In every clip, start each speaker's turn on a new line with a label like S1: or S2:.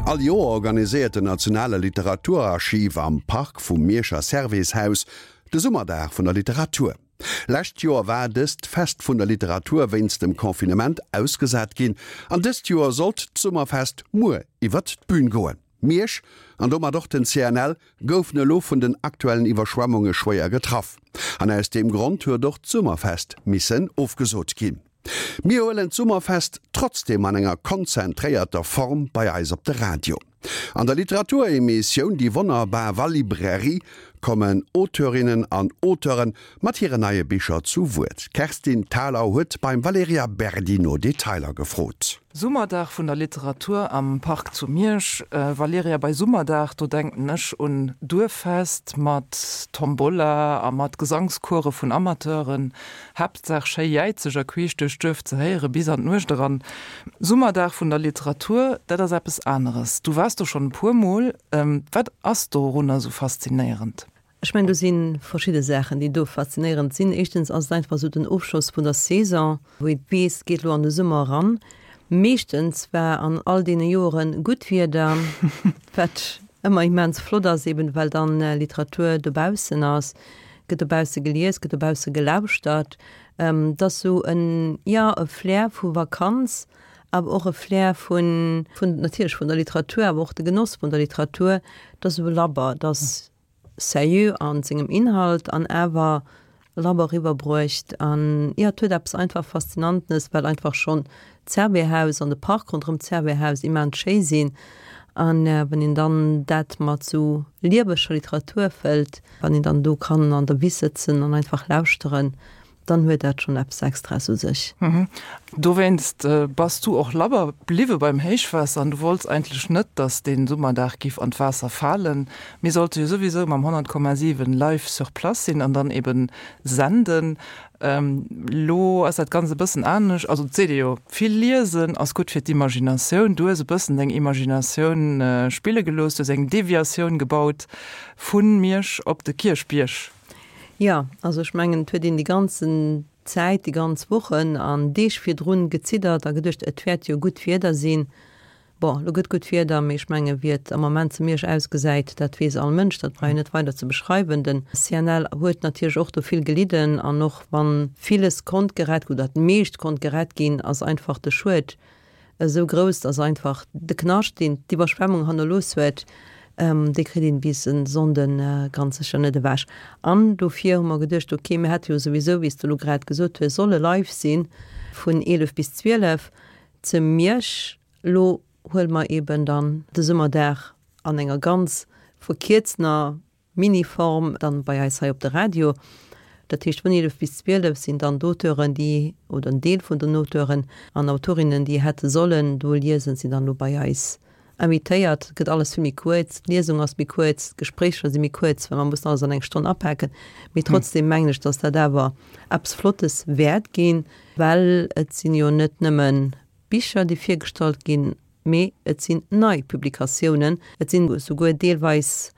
S1: All Joer organiséiert den Nationale Literaturarchiv am Park vum Mierscher Servais-Haus de Summerdag vun der Literatur. Lescht Joer war dëst Fest vun der Literatur wéinst dem Confinement ausgesat ginn an dëst Joer sollt d'Summerfest muer iwwert d'Bün goen. Miersch, an domat och den CNL, goufen elo vun den aktuellen Iwwerschwemmunge schwéier getraff an aus deem Grond huet och d'Summerfest missen ofgesot ginn. Mir huelen d'Summerfest trotzdeem an enger konzentréierter Form bei eis op de Radio. An der Literaturemissioun Déi wonnerbar Walibrairie kommen Auteurinnen an Auteure mat hiren neie Bicher zu Wuert. D'Kerstin Thalau huet beim Valerija Berdi no Detailer gefrot.
S2: Summerdag vun der Literatur am Park zu Miersch. Valerija, bei Summerdag, do denken ech un Duerffest mat Tombola a mat Gesangscourse vun Amateuren. Haaptsaach schéi jäizeg a queesch duerch d'Duerf ze héiere bis an d'Nuecht eran. Summerdag vun der Literatur, dat ass eppes aneres. Du waars do schonn e puer Mol. Wat ass dorunner esou faszinéierend?
S3: Ech mengen, do si verschidde Saachen, déi do faszinéierend sinn. Éischtens ass et einfach esou den Ofschloss vun der Saison, wou ee weess, et geet elo an de Summer eran. Meeschtens war an all deene Joere gutt Wieder, wat ëmmer immens flott ass, eben well dann Literatur dobaussen ass. Gëtt dobausse gelies, gëtt dobausse gelauschtert. Et ass esou en, jo, e Flair vu Vakanz, awer och e Flair vun, vun natierlech vun der Literatur, awer och de Genoss vun der Literatur. Et ass esou labber, et ass seriö a sengem Inhalt an awer labber eriwwerbruecht. An, jo, et huet eppes einfach Faszinantenes, well einfach schonn d'Servais-Haus an de Park ronderëm d'Servais-Haus immens schéi sinn. An wann een dann dat mat esou lieweger Literatur fëllt, Wann een dann do kann an der Wiss sëtzen an einfach lauschteren, dann huet dat schonn eppes Extraes u sech.
S2: Dowéinst bass du och labber bliwwe beim Héichwaasser an du wollts eigentlech net, dass dee Summerdag giff an d'Waasser falen. Mir sollte jo souwisou mam 100,7 live sur place sinn an dann eben senden. Lo ass dat Ganzt e bëssen anescht. Also et seet ee jo, vill liesen ass gutt fir d'Imaginatioun. Du hues e bëssen deng Imaginatioun spille gelooss, du hues eng Deviatioun gebaut Vu Miersch op de Kierchbierg.
S3: Jo, also ech mengen, et huet een déi ganzen Zäit, déi ganz Wochen an Deeg virdrun geziddert a geduecht, et wäert jo gutt Wieder sinn. Bon, elo gëtt gutt Wieder, mee ech mengen, wéi et am Moment zu Miersch ausgesäit, dat weess all Mënsch, dat brauch een net weider ze beschreiwen. Den CNL huet natierlech och do vill gelidden an och wann villes konnt gerett oder d'meescht konnt gerett ginn, ass einfach de Schued esou grouss, dass einfach de Knascht, deen d'Iwwerschwemmung hannerlooss huet, dee kritt een bis e Sonnde ganz sécher net ewech. An dofir hu mer geduecht, ok, mir hätte jo souwisou, wéi s de elo grad gesot hues, solle live si vun 11 bis 12 ze Miersch. Elo huele mer eeben dann de Summerdag an enger ganz verkierztener Miniform dann bei eis hei op de Radio. Dat heescht vun 11 bis 12 sinn dann d'Auteuren, déi, oder en Deel vun den Auteuren an Autorinnen, déi hätte sollen do liesen, sinn dann elo bei eis invitéiert. Et gëtt alles vill méi kuerz, d'Liesung ass méi kuerz, d'Gespréicher si méi kuerz, well mer mussen alles an eng Stonn apaken. Mee trotzdem mengen ech, dass dat awer eppes Flottes wäert ginn, well et sinn jo net nëmmen Bicher, déi virgestallt ginn, Mee et sinn nei Publikatiounen, et sinn esouguer deelweis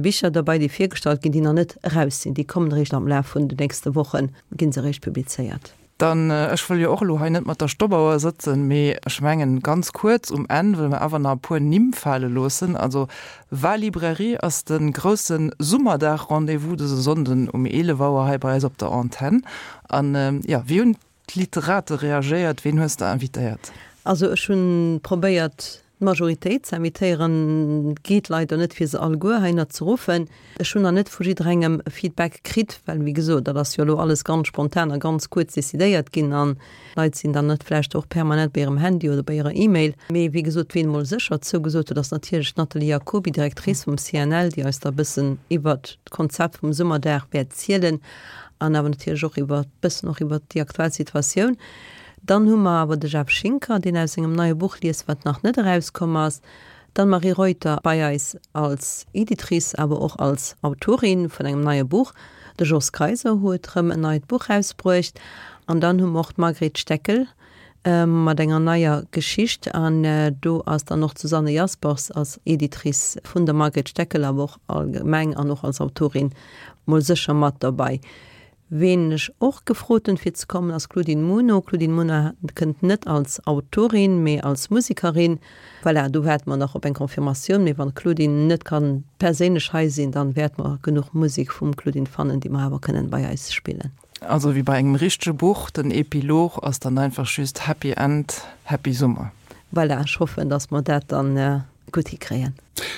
S3: Bicher derbei, déi virgestallt ginn, déi nach net eraus sinn. Déi kommen eréischt am Laf vun den nächste Wochen, gi se eréischt publizéiert.
S2: Dann, ech wëll jo och elo hei net mat der Stoppauer sëtzen, mee ech mengen, ganz kuerz um Enn wëlle mer awer nach e puer Nimm fale loossen. Also Wa-Librairie ass de grousse Summerdag-Rendez-vous dëse Sonnden um 11 Auer hei bei eis op der Antenn. An, jo, wéi hunn D'Literate reagéiert. Ween hues de invitéiert?
S3: Also ech hunn probéiert d'Majoritéit ze invitéieren, geet leider net fir se alleguer heihinner ze ruffen. Ech hunn nach net vu jidderengem e Feedback kritt, well wéi gesot, dat ass jo elo alles ganz spontan a ganz kuerz decidéiert ginn an d'Leit sinn dann net vläicht och permanent bei hirem Handy oder bei hirer E-Mail. Mee wéi gesot, ween emol sécher zougesot huet, ass natierlech d'Nathalie Jacoby, Directrice vum CNL, déi eis da e bëssen iwwert d'Konzept vum Summerdag wäert zielen. An awer natierlech och iwwer, bëssen och iwwer déi aktuell Situatioun. Dann hu mer awer de Jeff Schinker, deen aus sengem neie Buch liest, wat nach net erauskomm ass. D'Anne-Marie Reuter bei eis als Editrice, awer och als Autorin vun engem neie Buch. De Jos Kayser huet rëm en neit Buch erausbruecht. An dann hu mer och d'Margret Steckel mat enger neier Geschicht. An do ass dann och d'Susanne Jaspers als Editrice vun der Margret Steckel, awer och allgemeng an och als Autorin mol sécher mat derbei. Ween ech och gefrot hunn fir ze kommen ass Claudine Muno. Claudine Muno kënnt net als Autorin, mee als Musekerin. Voilà, do waarde mer nach op eng Confirmatioun, mee wann d'Claudine net kann perséinlech hei sinn, dann wäerte mer genuch Musek vum Claudine fannen, déi mer awer kënnen bei eis spillen.
S2: Also wéi bei engem richtege Buch, den Epilog ass dann einfach just Happy End, Happy Summer.
S3: Voilà, ech hoffen, dass mer dat dann gutt hikréien.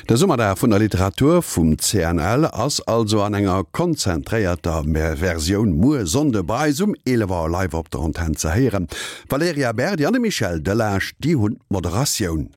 S1: De Summerdag vun der Literatur vum CNL ass also an enger konzentréierter Versioun muer Sonnde bei eis um 11 Auer live op der Antenn ze héieren. D'Valerija Berdi an de Michel Delage, déi hunn d'Moderatioun.